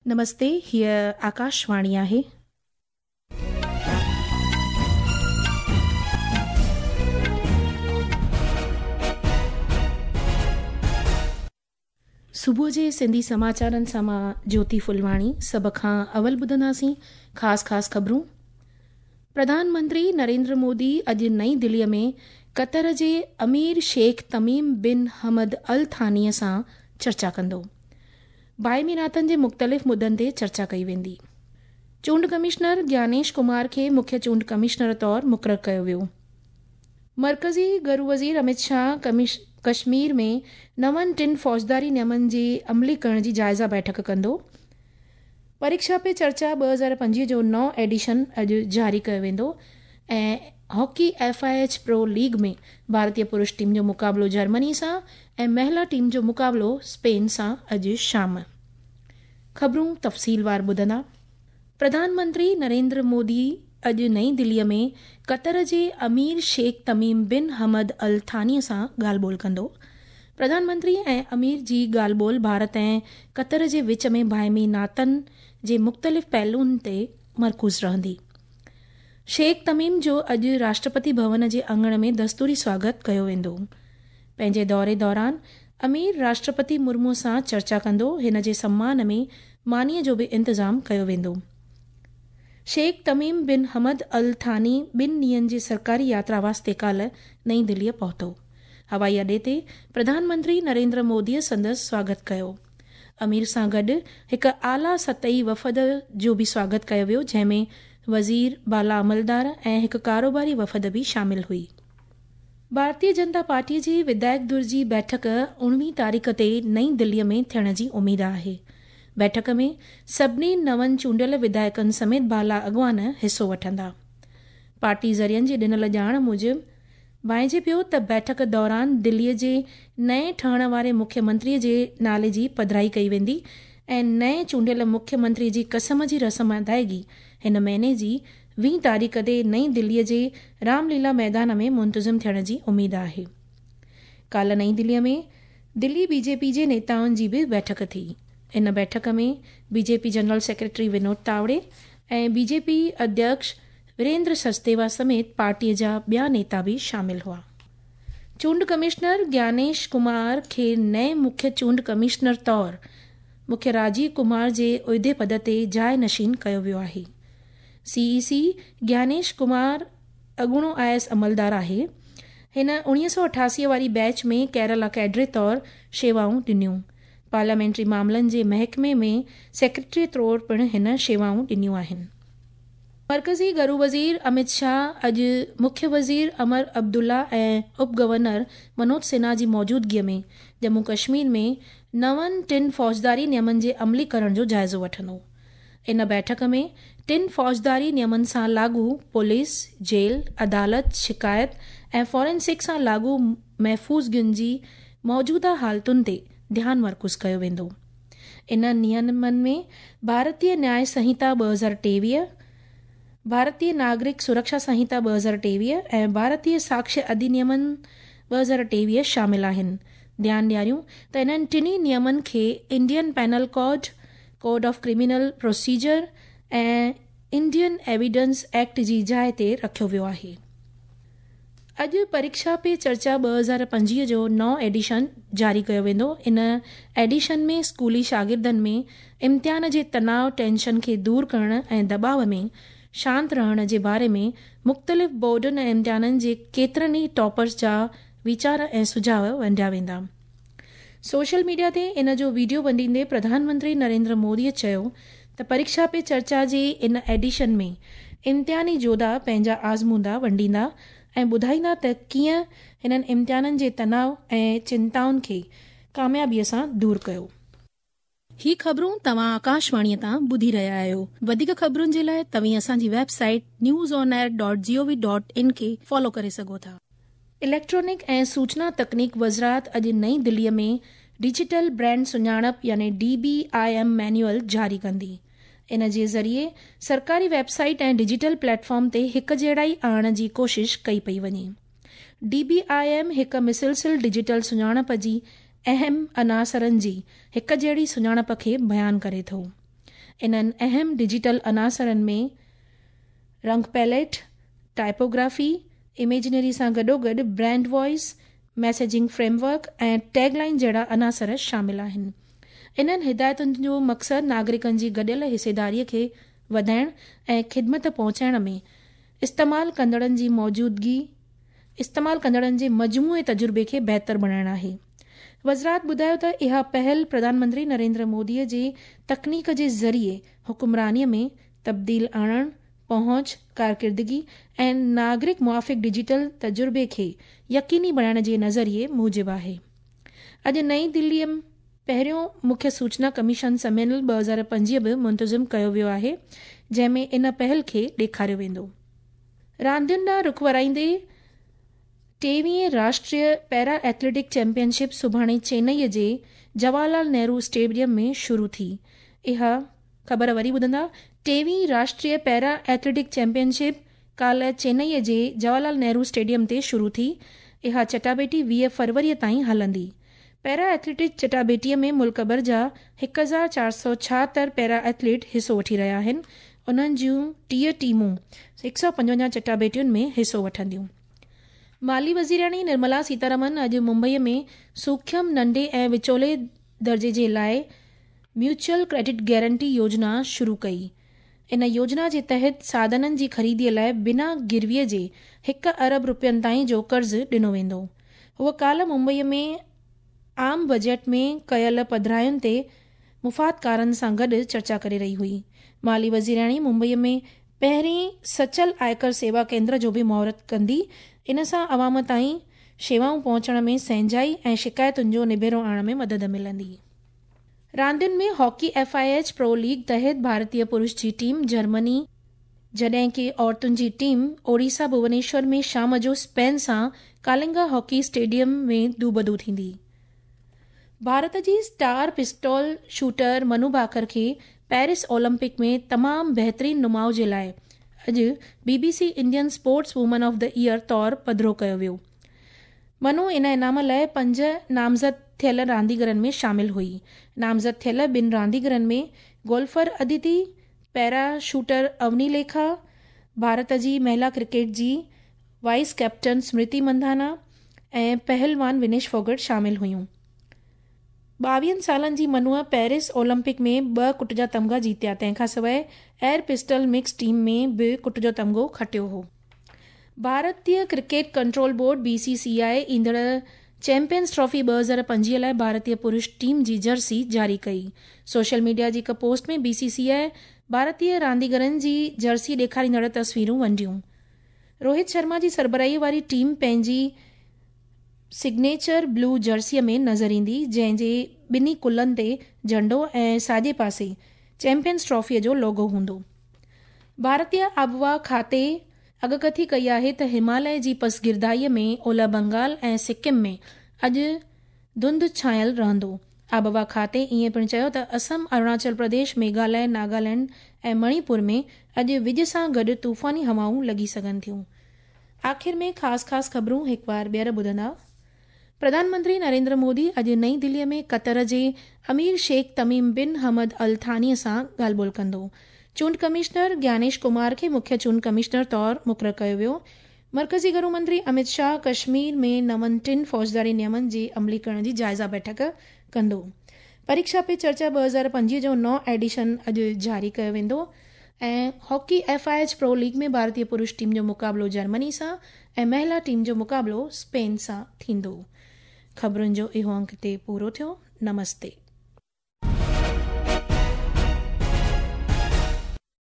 نمستي، هيء آڪاشواڻي آهي. صبح جي سنڌي سماچارن سان مان جيوتي ڦلواڻي. سڀ کان اول ٻڌنداسين خاص خاص خبرون. پرڌان منتري نريندر مودي اڄ نئين دليء ۾ قطر جي امير شيخ تميم بن حمد الثاني سان چرچا ڪندو. باهمي ناتن جي مختلف مدن تي چرچا ڪئي ويندي. چونڊ ڪمشنر گيانيش ڪمار کي مکيه چونڊ ڪمشنر طور مقرر ڪيو ويو. مرڪزي گهرو وزير امت شاهه ڪشمير ۾ نون ٽن فوجداري نيمن جي عملي ڪرڻ جي جائزه بيٺڪ ڪندو. پريڪشا پي چرچا 2025 جو نئون ايڊيشن اڄ جاري ڪيو ويندو ۽ hockey F I H pro league ۾ ڀارتي پرش ٽيم جو مقابلو جرمني سان ۽ مهلا ٽيم جو مقابلو اسپين سان اڄ شام. خبرون تفصيلوار ٻڌندا. پرڌان منتري نريندر مودي اڄ نئين دليء ۾ قطر جي امير شيخ تميم بن حمد الثاني سان ڳالهه ٻولهه ڪندو. پرڌان منتري ۽ امير جي ڳالهه ٻولهه ڀارت ۽ قطر جي وچ ۾ باهمي ناتن جي مختلف پهلوئن تي مرڪوز رهندي. شيخ تميم جو اڄ راشٽرپتي ڀون جي اڱڻ ۾ دستوري سواگت ڪيو ويندو. پنهنجي دوري دوران امير راشٽرپتي مرمو سان چرچا ڪندو. هن جي سمان ۾ مانيء جو به انتظام ڪيو ويندو. شيخ تميم بن حمد الثاني ٻن ڏينهن جي سرڪاري ياترا واسطي ڪالهه نئين دليء پهتو. هوائي اڏي تي پرڌان منتري نريندر موديء سندس سواگت ڪيو. امير سان گڏ هڪ اعليٰ سطحي وفد جو به سواگت ڪيو ويو، جنهن ۾ وزير، بالا عملدار ۽ هڪ ڪاروباري وفد به شامل هئي. ڀارتيه جنتا پارٽيء جي وڌايڪ ڌر جي بيٺڪ 19 تاريخ تي نئين دليء ۾ ٿيڻ جي اميد آهي. بيٺڪ ۾ سڀني نون چونڊيل وڌايڪن سميت بالا اڳواڻ حصو وٺندا. پارٽي ذريعن جي ڏنل ڄاڻ موجب ڀانئجي پيو ته بيٺڪ دوران دليء جي نئين ٺهڻ واري مکيه منتري جي نالي جي پڌرائي ڪئي ويندي ۽ نئين چونڊيل مکيه منتري جي قسم جي رسم ادائگي هن مهيني جي 20 تاريخ تي نئين دليء جي رام ليلا ميدان ۾ منتظم ٿيڻ جي اميد آهي. ڪالهه نئين دليء ۾ دلي بي جي پي جي نيتائن جي به بيٺڪ ٿي. ان بيٺڪ ۾ B J P general secretary Vinod Tawde ۽ B J P اڌيڪش Virender Sachdeva سميت پارٽيء جا ٻيا نيتا به شامل هئا. چونڊ ڪمشنر گيانيش ڪمار کي نئين مکيه چونڊ ڪمشنر طور مکيه راجيو ڪمار جي عهدي پد تي جاء نشين ڪيو ويو آهي. سي اي سي گيانيش ڪمار اڳوڻو I S عملدار آهي. هن 1988 واري بيچ ۾ ڪيرالا ڪيڊري طور شيوائون ڏنيون. پارليامينٽري معاملن جي محڪمي ۾ سيڪريٽري طور پڻ هن شيوائون ڏنيون آهن. مرڪزي گهرو وزير امت شاهه اڄ مکيه وزير عمر عبدالله ۽ اپ گورنر منوج سنها جي موجودگيء ۾ ڄمون ڪشمير ۾ نون ٽن فوجداري نيمن جي عملي ڪرڻ جو جائزو وٺندو. ان بيٺڪ ۾ ٽن فوجداري نيمن سان لاڳو پوليس، جيل، عدالت، شڪايت ۽ فارينسڪ سان لاڳو محفوظگين جي موجوده حالتن تي ڌيان مرڪوز ڪيو ويندو. انهن نيمن ۾ ڀارتيه نياء سنهتا 2023، ڀارتيه ناگرڪ سرڪشا سنهتا 2023 ۽ ڀارتيه ساڪشيه اڌينيمن 2023 شامل آهن. ڌيان ڏياريون ته انهن ٽنهي نيمن کي Indian penal code, code of criminal procedure ۽ Indian evidence act جي جاء تي رکيو ويو آهي. اڄ پريڪشا پي چرچا 2025 جو نئون ايڊيشن جاري ڪيو ويندو. ان ايڊيشن ۾ اسڪولي شاگردن ۾ امتحان جي تناء، ٽينشن کي دور ڪرڻ ۽ دٻاء ۾ شانت رهڻ جي باري ۾ مختلف بورڊن ۽ امتحانن جي ڪيترن ئي ٽاپرز جا ويچار ۽ سجهاء ونڊيا ويندا. سوشل ميڊيا تي ان جو وڊيو ونڊيندي پرڌان منتري نريندر مودي چيو ته پريڪشا پي چرچا جي ان ايڊيشن ۾ امتحاني جوڌا پنهنجا آزمودا ونڊيندا ۽ ٻڌائيندا ته ڪيئن هنن امتحانن جي تناء ۽ چنتائن کي ڪاميابي سان دور ڪيو. هي خبرون توهان آڪاشواڻي تان ٻڌي رهيا آهيو. وڌيڪ خبرن جي لاء توهين اسان جي website news on air dot G O V dot in کي فالو ڪري سگهو ٿا. اليڪٽرانڪ ۽ سوچنا تڪنيڪ وزارت اڄ نئين دليء ۾ ڊجيٽل برانڊ سڃاڻپ يعني D B I M manual جاري ڪندي. ان جي ذريعي سرڪاري web site ۽ digital plate form تي هڪجهڙائي آڻڻ جي ڪوشش ڪئي پئي وڃي. ڊي بي I M هڪ مسلسل ڊجيٽل سڃاڻپ جي اهم عناصرن جي هڪجهڙي سڃاڻپ کي بيان ڪري ٿو. انهن اهم ڊجيٽل عناصرن ۾ رنگ پيليٽ، ٽائپوگرافي، اميجنري سان گڏوگڏ brand voice, messaging framework ۽ tag line جهڙا عناصر شامل آهن. انهن هدايتن جو مقصد ناگرڪن جي گڏيل حصيداري کي وڌائڻ ۽ خدمت پهچائڻ ۾ استعمال ڪندڙن جي موجودگي استعمال ڪندڙن جي مجموعي تجربي کي بهتر بڻائڻ آهي. وزارت ٻڌايو ته اها پهل پرڌان منتري نريندر مودي جي تڪنيڪ جي ذريعي حڪمراني ۾ تبديل آڻڻ، پهچ، ڪارڪردگي ۽ ناگرڪ موافق ڊجيٽل تجربي کي يقيني بڻائڻ جي نظريي موجب آهي. اڄ نئين دلي ۾ پهريون مکيه سوچنا ڪميشن سميلن 2025 به منتظم ڪيو ويو آهي، جنهن ۾ ان پهل کي ڏيکاريو ويندو. راندين ڏانهن رخ ورائيندي ٽيويهين راشٽريه پيرا ايٿليٽڪ چيمپيئن شپ سڀاڻي چينئي جي جواهر لال نهرو اسٽيڊيم ۾ شروع ٿي. اها خبر وري ٻڌندا، ٽيويهين راشٽريه پيرا ايٿليٽڪ چيمپيئن شپ ڪالهه چينئي جي جواهر لال نهرو اسٽيڊيم تي شروع ٿي. اها چٽاڀيٽي 20 فروري تائين هلندي. پيرا ايٿليٽڪ چٽاڀيٽيء ۾ ملڪ ڀر جا 1476 پيرا ايٿليٽ حصو وٺي رهيا آهن. انهن جون 30 ٽيمون 155 چٽاڀيٽين ۾ حصو وٺنديون. مالي وزيرياڻي نرملا سيتارامن اڄ ممبئي ۾ سوکيم، ننڍي ۽ وچولي درجي جي لاء ميوچل ڪريڊٽ گارنٽي يوجنا شروع ڪئي. ان يوجنا جي تحت ساڌنن جي خريدي لاء بنا گروي جي هڪ ارب رپين تائين جو قرض ڏنو ويندو. هوء ڪالهه ممبئي ۾ عام بجيٽ ۾ ڪيل پڌراين تي مفادڪارن سان گڏ چرچا ڪري رهي هئي. مالي وزيرياڻي ممبئي ۾ پهرين سچل آئڪر سيوا ڪيندر جو به مهورت ڪندي. ان سان عوام تائين شيوائون پهچڻ ۾ سهنجائي ۽ شڪايتن جو نبيرو آڻڻ ۾ مدد ملندي. راندين ۾ hockey F I H pro league تحت ڀارتي پرش جي ٽيم جرمني جڏهن ڪي عورتن جي ٽيم اوڙيسا ڀونيشور ۾ شام جو اسپين سان ڪالنگا هاڪي اسٽيڊيم ۾ دوبدو ٿيندي. ڀارت جي اسٽار پسٽول شوٽر منو ڀاڪر کي پيرس اولمپڪ ۾ تمام بهترين نماء جي لاء اڄ B B C Indian sports woman of the year طور پڌرو ڪيو ويو. منو ان انعام لاء پنج نامزد ٿيل رانديگرن ۾ شامل هئي. نامزد ٿيل ٻن رانديگرن ۾ golfer Aditi, para shooter Avani Lekhara, Bharat جي مهلا ڪرڪيٽ جي وائيس ڪئپٽن سمرتي مندانا ۽ پهلوان ونيش ڦوگٽ شامل هيون. ٻاويهن سالن جي منوء پيرس اولمپڪ ۾ ٻه ڪٽ جا تمغا جيتيا، تنهن کانسواء ايئر پسٽل مڪس ٽيم ۾ به ڪٽ جو تمغو کٽيو هو. ڀارتي cricket control board, B C C I, ايندڙ چيمپيئنز ٽرافي 2025 لاء ڀارتي پرش ٽيم جي جرسي جاري ڪئي. سوشل ميڊيا جي هڪ پوسٽ ۾ بي سي سي آء ڀارتي رانديگرن جي جرسي ڏيکاريندڙ تصويرون ونڊيون. روهت شرما جي سربراهي واري ٽيم پنهنجي سگنيچر بلو جرسي ۾ نظر ايندي، جنهن جي ٻنهي ڪلهن تي جهنڊو ۽ ساڄي پاسي چيمپيئنز ٽرافي جو لوگو هوندو. ڀارتي آبهوا کاتي اڳڪٿي ڪئي آهي ته هماليه جي پسگردائي ۾ اولهه بنگال ۽ سڪم ۾ اڄ ڌنڌ ڇانيل رهندو. آبهوا کاتي ائين پڻ چيو ته اسم، اروناچل پرديش، ميگهاليه، ناگالينڊ ۽ مڻي پور ۾ اڄ وڄ سان گڏ طوفاني هوائون لڳي سگهن ٿيون. آخر ۾ خاص خاص خبرون هڪ وار ٻيهر ٻڌندا. پرڌان منتري نريندر مودي اڄ نئين دلي ۾ قطر جي امير شيخ تميم بن حمد الثاني سان ڳالهه ٻولهه ڪندو. چونڊ ڪمشنر گيانيش ڪمار کي مکيه چونڊ ڪمشنر طور مقرر ڪيو ويو. مرڪزي گهرو منتري امت شاهه ڪشمير ۾ نون ٽن فوجداري نيمن جي عملي ڪرڻ جي جائزه بيٺڪ ڪندو. پريڪشا پي چرچا 2025 جو نئون ايڊيشن اڄ جاري ڪيو ويندو ۽ hockey F I H pro league ۾ ڀارتي پرش ٽيم جو مقابلو جرمني سان ۽ مهلا ٽيم جو مقابلو اسپين سان ٿيندو. خبرن جو اهو انڪ هتي پورو ٿيو. نمستي.